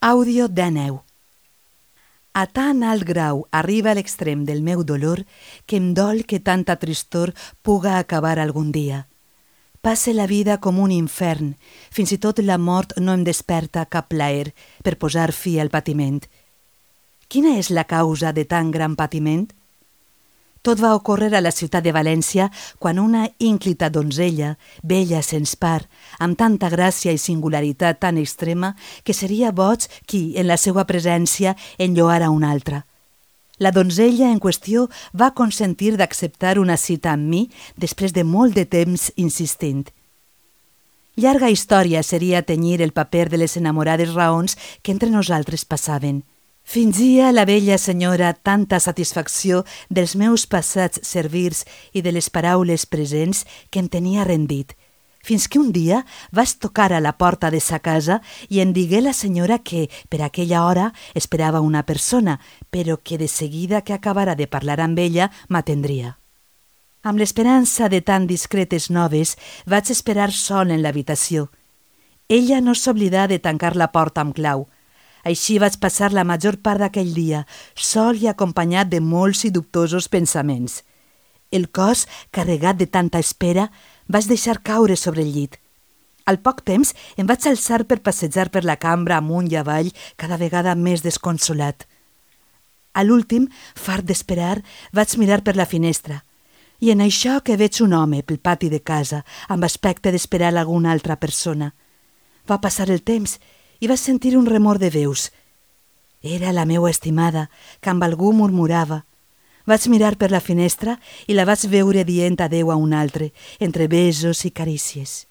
Àudio d'Àneu. A tan alt grau arriba a l'extrem del meu dolor que em dol que tanta tristor puga acabar algun dia. Passe la vida com un infern, fins i tot la mort no em desperta cap plaer per posar fi al patiment. Quina és la causa de tan gran patiment? Tot va ocórrer a la ciutat de València quan una ínclita donzella, bella sens par, amb tanta gràcia i singularitat tan extrema que seria boig qui, en la seva presència, enlloara una altra. La donzella en qüestió va consentir d'acceptar una cita amb mi després de molt de temps insistint. Llarga història seria tenyir el paper de les enamorades raons que entre nosaltres passaven. Fingia la vella senyora tanta satisfacció dels meus passats servirs i de les paraules presents que em tenia rendit, fins que un dia vaig tocar a la porta de sa casa i em digué la senyora que, per aquella hora, esperava una persona, però que de seguida que acabara de parlar amb ella m'atendria. Amb l'esperança de tan discretes noves, vaig esperar sol en l'habitació. Ella no s'oblidà de tancar la porta amb clau. Així vaig passar la major part d'aquell dia, sol i acompanyat de molts i dubtosos pensaments. El cos, carregat de tanta espera, vaig deixar caure sobre el llit. Al poc temps em vaig alçar per passejar per la cambra amunt i avall, cada vegada més desconsolat. A l'últim, fart d'esperar, vaig mirar per la finestra. I en això que veig un home pel pati de casa, amb aspecte d'esperar alguna altra persona. Va passar el temps i vaig sentir un remor de veus. Era la meua estimada, que amb algú murmurava. Vaig mirar per la finestra i la vaig veure dient adeu a un altre, entre besos i carícies.